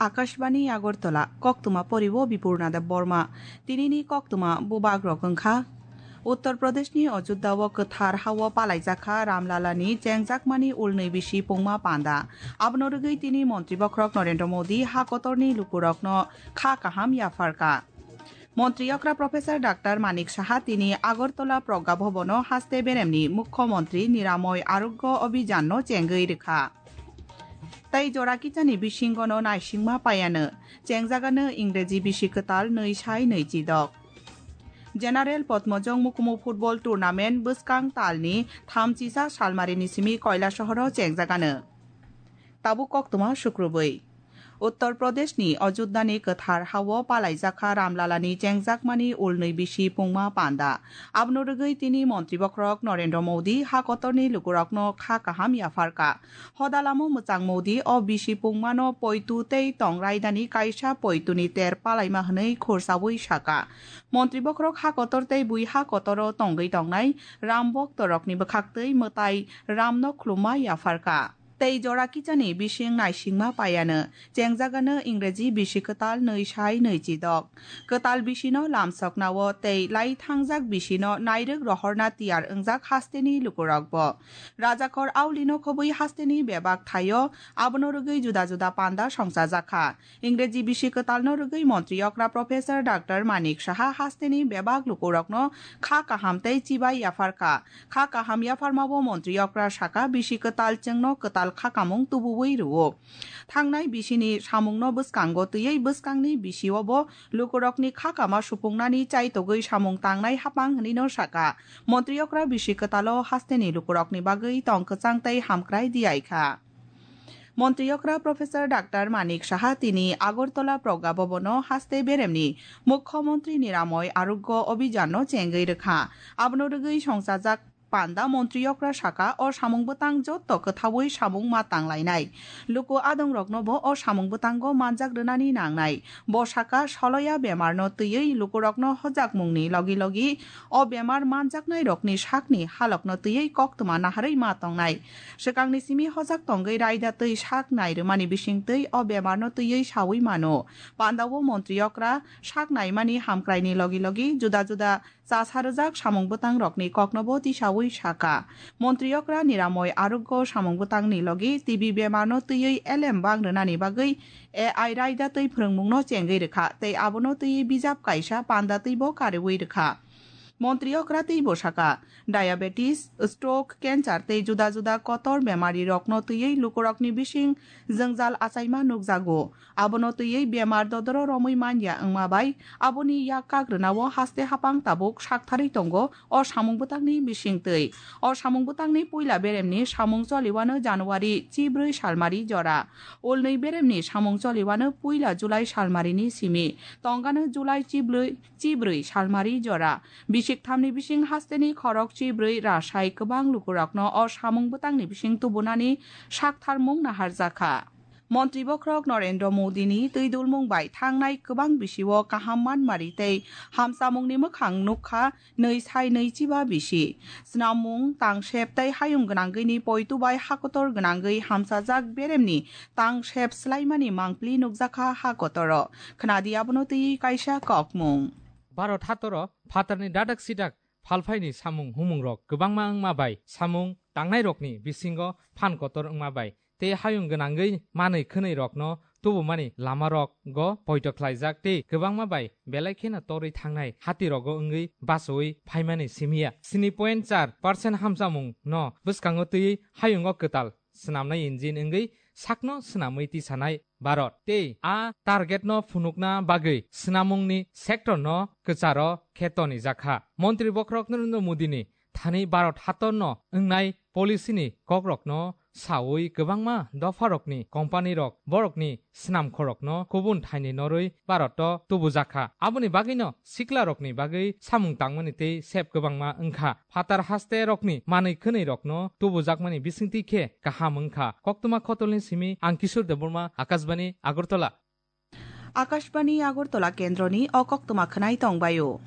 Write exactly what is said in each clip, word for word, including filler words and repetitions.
Akashbani Agartala, koktwma poriwo Bipurna Debbarma. Tinini koktwma bubak rok wngkha. Uttar Pradeshni Ajodhya o kwthar hao palaijak kha Ramlalani chengjakmani ulnwi bisi pungma panda. Abono rwgwi tini Montri Bokhorok Narendra Modi ha kotorni lukurokno kha kaham yapharkha. Montri okra Professor Doctor Manik Saha tini Agartala Pragya Bhavan o haste beremni Mukhyamantri Niramoy Arogya Abhiyan no chengwi rwkha. Tei jora kichani bisingo no naisingma paiano, chengjagano Ingreji bisi kwtal nwi sai nwi chidok. General Potmojong Mukumu Football Tournament bwskang talni thamchisa salmarini simi Koilasohoro chengjagano. Tabuk koktwma sukrubwi. Uttar Pradeshni Ajodhyani kwthar hao palaijak kha Ramlalani chengjakmani ulnwi bisi pungma panda. Abono rwgwi tini Montri Bokhorok Narendra Modi ha kotorni lukurokno kha kaham yapharkha. Hodalamo mwchang Modi o bisi pungmano poitu tei tong raidani kaisa poituni ter palaima hwnwi khursaui saka. Montri Bokhorok ha kotor tei bui ha kotoro tongwi tongnai Ram boktorokni bwkhaktwi mwtai Ramno khulumma yapharkha. Tei jora kichani bising naisingma paiano, chengjagano Ingreji bisi kwtal nwi sai nwi chidok. Kwtal bisino lamsoknao tei lai thangjak bisino nairwk rohorna tiyar wngjak hasteni lukurokbo. Rajakhor aulino khobwi hasteni bebak thaio, abono rwgwi juda juda panda songchajakha. Ingreji bisi kwtalno rwgwi Montri okra Professor Doctor Manik Saha hasteni bebak lukurokno kha kaham tei chibai yapharkha. Kha kaham yapharmabo Montri okra saka bisi kwtal chwngno kwtal khakamung tubuwi rwo. Thangnai bisini samungno bwskango twiwi bwskangni bisiobo lukurokni khakama supungnani chaitogwi samung tangnai hapang hwnwino saka. Montri okra bisi kwtalo hasteni lukurokni bagwi tong kwchang tei hamkrai diyaikha. Montri okra Professor Doctor Manik Saha tini Agartala Pragya Bhavan o haste beremni Mukhyamantri Niramoy Arogya Abhiyan no chengwi rwkha. Abono rwgwi songchajak panda Montri okra saka o samung bwtang jotto kwthaui samung ma tanglainai. Luku adongroknobo o samung bwtango manjak rwnani nangnai. Bo saka soloya bemarno twiwi lukurokno hojakmungni logi logi o bemar manjaknairokni sakni halokno twiwi koktwma naharwi ma tongnai. Swkangni simi hojak tongwi raida twi sak nai rwmani bisingtwi o bemarno twiwi saui mano. Pandao Montri okra sak naimani hamkraini logi logi juda juda chasa rwjak samung bwtangrokni koknobo tisaui saka. Montri okra Niramoy Arogya samung bwtangni logi T B bemarno twiwi elem bang rwnani bagwi A I raida twi phwrwngmungno chengwi rwkha tei abono twiwi bijap kaisa panda twibo kariui rwkha. Montri okra teibo saka, diabetes, stroke, cancer tei juda juda kotor bemari rokno twiwi lukurokni bising jwngjal achaima nukjago. Abono twiwi bemar dodoro romwi manya wngma bai aboni yak kak rwnao haste hapang tabuk saktharwi tongo o samung bwtangni bisingtwi. O samung bwtangni puila beremni samung choliwano January chibrwi salmari jora. Ulnwi beremni samung choliwano puila July salmarini simi, tongano July chibrwi chibrwi salmari jora. Bisik thamni bising hasteni khorok chibrwi rasai kwbang lukurokno o samung bwtangni bising tubunani saktharmung naharjakha. Montri bokhorok Narendra Modini twi dulmung bai thangnai kwbang bisio kaham manmari tei hamchamungni mwkhang nukha nwi sai nwi chiba bisi. Snamung, tangsep tei hayung gwnangwini poitu bai hakotor gwnangwi hamchajak beremni tangsep swlaimani mangpli nukjakha hakotoro. Khnadi abono twi kaisa kokmung. Bharat hatoro phatarni dadak sidak phalphaini samung humungrok kwbangma wngma bai samung tangnairokni bisingo phan kotor wngma bai tei hayung gwnangwi manwi khwnwi rokno tubumani lamarokgo poito khlaijak tei kwbangma bai belai kheno torwi thangnai hatirogo wngwi bachaui phaimani simiya. Sini point char percent hamchamung no bwskango twiwi hayungo kwtal swnamnai engine wngwi sakno swnamwi tisanai Bharat tei a target no phunukna bagwi swnamungni sector no kwcharo khe tonijakha. Montri bokhorok Narendra Modini thani Bharat hatorno wngnai policy ni kokrokno saui kwbangma dopharokni company rok borokni snamkhorokno kubun thaini norwi Bharat o tubujakha. Aboni bagwino siklarokni bagwi samung tangmani tei sep kwbangma wngkha. Phatar haste rokni manwi khwnwi rokno tubujakmani bisingtwi khe kaham wngkha. Koktwma khotolni simi ang Kishore Debbarma, Akashbani, Agartala. Akashbani Agartala kendroni o koktwma khwnai tongbaio.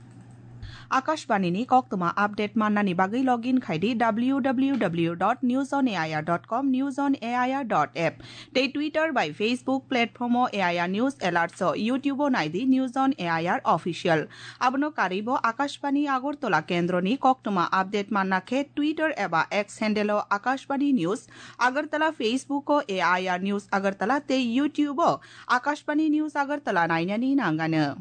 Akashbani ni koktwma update mannani bagwi login khai di W W W dot news on A I R dot com, news on A I R dot app, tei Twitter bai Facebook platform o A I R News Alerts o, YouTube o nai di News on A I R Official. Abono karwi bo Akashbani Agartala kendro ni koktwma update manna khe Twitter eba X handle o Akashbani News Agartala, Facebook o A I R News Agartala tei YouTube o Akashbani News Agartala nainani nangano.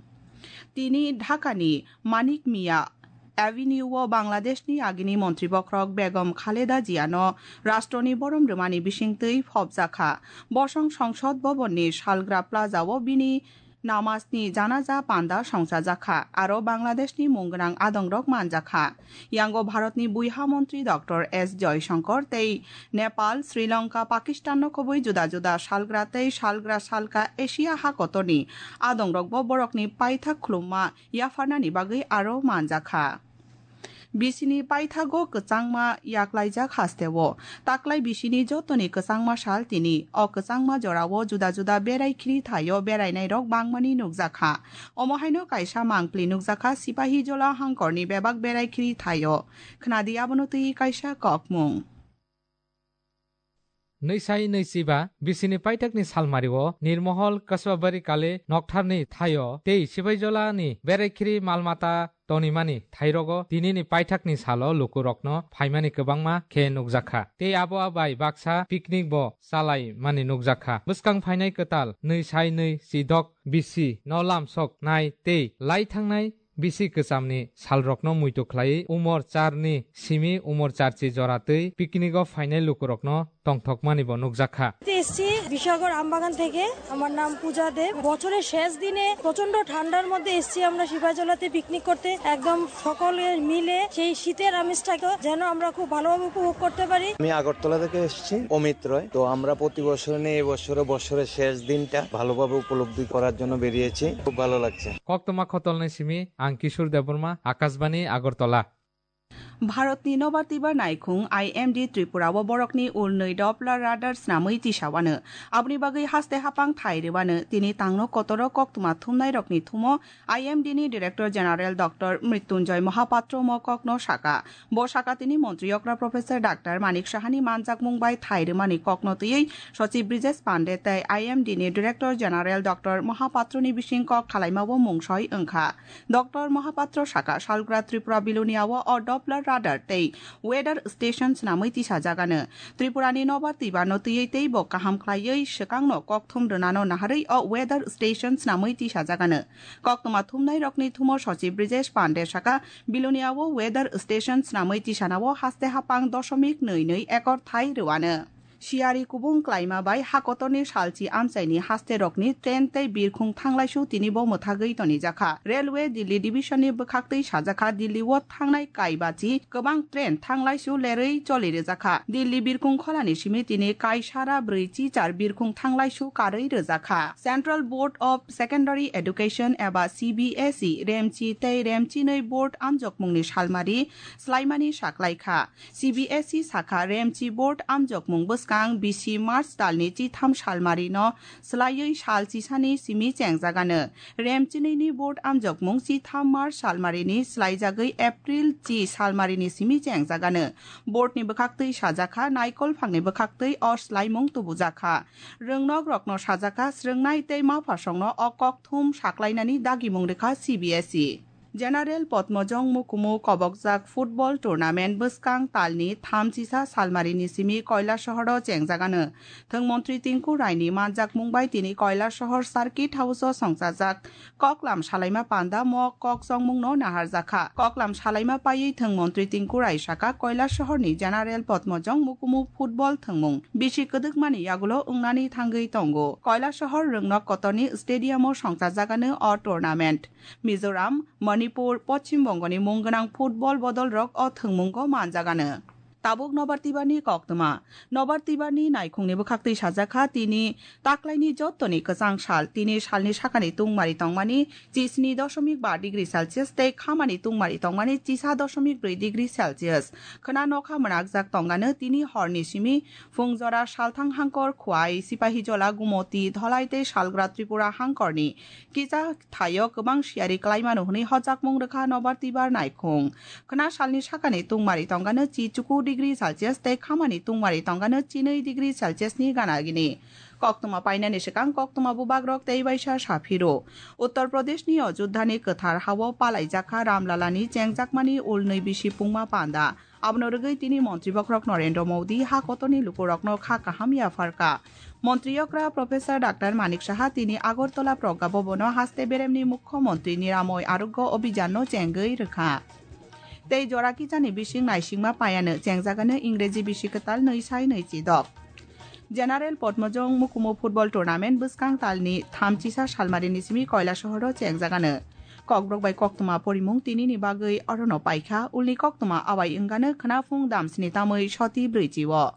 Tini Dhaka ni Manik Mia Avenue o Bangladesh ni agini montri bokhorok Begum Khaleda Zia no rashtroni borom rwmani bisingtwi phobjakha. Bosong Songsod Bhavan ni Salgra Plaza o bini namaz ni janaza panda songchajakha, aro Bangladesh ni mung gwnang adongrok manjakha. Yango Bharat ni buiha montri Doctor S Joyshankar tei Nepal, Sri Lanka, Pakistan no khobwi juda juda salgra tei salgra salka Asia hakotor ni adongrok bo borok ni paithak khulumma yapharnani bagwi aro manjakha. Bisini paithago kwchangma yaklaijak hasteo. Taklai bisini jotoni kwchangma sal tini. O kwchangma jorao juda juda berai khiri thaio berainairok bangmani nukjakha. Omo haino kaisa mangpli nukjakha Sipahijola hangkorni bebak berai khiri thaio. Khnadi abono twi kaisa kokmung. Nwisai nwichiba bisini paithakni salmario Nirmohol Kasbabari Kale noktharni thaio tei Sibaijolani beraikhiri malmata tonimani thairogo tinini paithakni salo lukurokno phaimani kwbangma khe nukjakha. Tei abo bai baksa picnic bo chalaimani nukjakha. Bwskang phainai kwtal nwisai nwi chidok bisi no lamsok nai tei lai thangnai bisi kwchamni salrokno muitu khlaiwi umor charni simi umor charchi jora twi picnic o phainai lukurokno tongthokmani bo nukjakha. এসছি বিশাগর আমবাগান থেকে। আমার নাম পূজা দেব। বছরের শেষ দিনে প্রচণ্ড ঠান্ডার মধ্যে এসছি আমরা সিপাহীজলাতে পিকনিক করতে। একদম সকলে মিলে সেই শীতের আমেজটাকে যেন আমরা খুব ভালোভাবে উপভোগ করতে পারি। আমি আগরতলা থেকে এসেছি, অমিত রয়। তো আমরা প্রতি বছর নিয়ে এবছরও বছরের শেষ দিনটা ভালোভাবে উপলব্ধি করার জন্য বেরিয়েছি। খুব ভালো লাগছে। Koktwma khotolni simi ang Kishore Debbarma, Akashbani, Agartala. Bharatni nobar twibar naikhung I M D Tripura o borokni ulnwi Doppler radar snamwi tisawano. Aboni bagwi haste hapang thai rwano. Tini tangno kotoro koktwma thumnairokni thumo I M D ni Director General Doctor Mrityunjoy Mohapatro mo kokno saka. Bo saka tini montri okra Professor Doctor Manik Sahani manjakmung bai thai rwmani kokno twiwi Sochib Brijesh Pande tei I M D ni Director General Doctor Mohapatro ni bising kok khalaima bo mungsoi wngkha. Doctor Mohapatro saka, salgra Tripura Bilonia o o Doppler radar tei weather station swnamwi tisajagano. Tripura ni nobar twibar no twiwi tei bo kaham khlaiwi swkang no kokthum rwnano naharwi o weather station swnamwi tisajagano. Koktwma thumnai rokni thumo Sochib Brijesh Pande saka, Bilonia o weather station swnamwi tisanao haste hapang dosomik nwi nwi ekor thai rwano. Siyari kubung klaima bai hakotorni salchi amchaini haste rokni train tei birkhung thanglaisu tini bo mwthagwi tonijakha. Railway Delhi Division ni bwkhaktwi sajakha, Delhi o thangnai kaibachi kwbang train thanglaisu lerwi choli rwjakha. Delhi birkhung kholani simi tini kaisara brwi chichar birkhung thanglaisu karwi rwjakha. Central Board of Secondary Education eba C B S E Remchi tei Remchinwi board amjokmungni salmari swlaimani saklaikha. C B S E sakha, Remchi board amjokmung bwskang bisi March talni chitham salmarino swlaiwi sal chisani simi chengjagano. Remchinwini board amjokmung chitham March salmarini swlaijagwi April chi salmarini simi chengjagano. Boardni bwkhaktwi sajakha, naikol phangni bwkhaktwi o swlaimung tubujakha. Rwngnokrokno sajakha, swrwngnai tei maphasongno o kokthum saklainani dagimung rwkha C B S E. General Padmojong Mukumu kobokjak football tournament bwskang talni thamchisa salmarini simi Kailasaharo chengjagano. Thwng montri Tinku Raini manjakmung bai tini Kailasahar Circuit House o songchajak koklam salaima panda mo kok chongmungno naharjakha. Koklam salaima paiwi thwng montri Tinku Rai saka Kailasahar ni General Padmojong Mukumu football thwngmung bisi kwdwkmani yagulo wngnani thangwi tongo. Kailasahar Rwngnok Kotorni stadium o songchajagano o tournament. Mizoram, Manipur, Poschim Bongoni mung gwnang football bodolrok o thwngmungo manjagano. Tabuk nobar tibarni koktwma. Nobar tibarni naikhungni bwkhaktwi sajakha, tini taklaini jottoni kwchang sal. Tini salni sakani tungmari tongmani chisni dosomik ba degree Celsius tei khamani tungmari tongmani chisa dosomik brwi degree Celsius. Khwna nokha mwnakjak tongano tini horni simi phungjora salthang hangkor Khwai, Sipahijola, Gumoti, Dholai tei Salgra Tripura hangkorni kisa thaio kwbang siyari klaimano hwnwi hojakmung rwkha nobar tibar naikhung. Khwna salni sakani tungmari tongano chi chuku degree Celsius tei khamani tungmari tongano chinwi degree Celsius ni gana gini. Koktwma painani swkang koktwma bubagrok tei baisa saphiro. Uttar Pradeshni Ajodhani kwthar hao palaijakha Ramlalani chengjakmani ulnwi bisi pungma panda. Abono rwgwi tini montri bokhorok Narendra Modi ha kotorni lukurokno kha kaham yapharkha. Montri okra Professor Doctor Manik Saha tini Agartala Pragya Bhabono haste beremni Mukhyamantri Niramoy Arogya Abhijanno chengwi rwkha. Tei jora kisani bising naisingma payano chengjagano Ingreji bisi kwtal nwi sai nwi chidok. General Potmojong Mukumu Football Tournament bwskang talni thamchisa salmarini simi Koila sohoro chengjagano. Kokborok bai koktwma porimung tinini bagwi orono paikha, ulni koktwma awai wngano khwnaphung damsni tamwi soti brwichi o.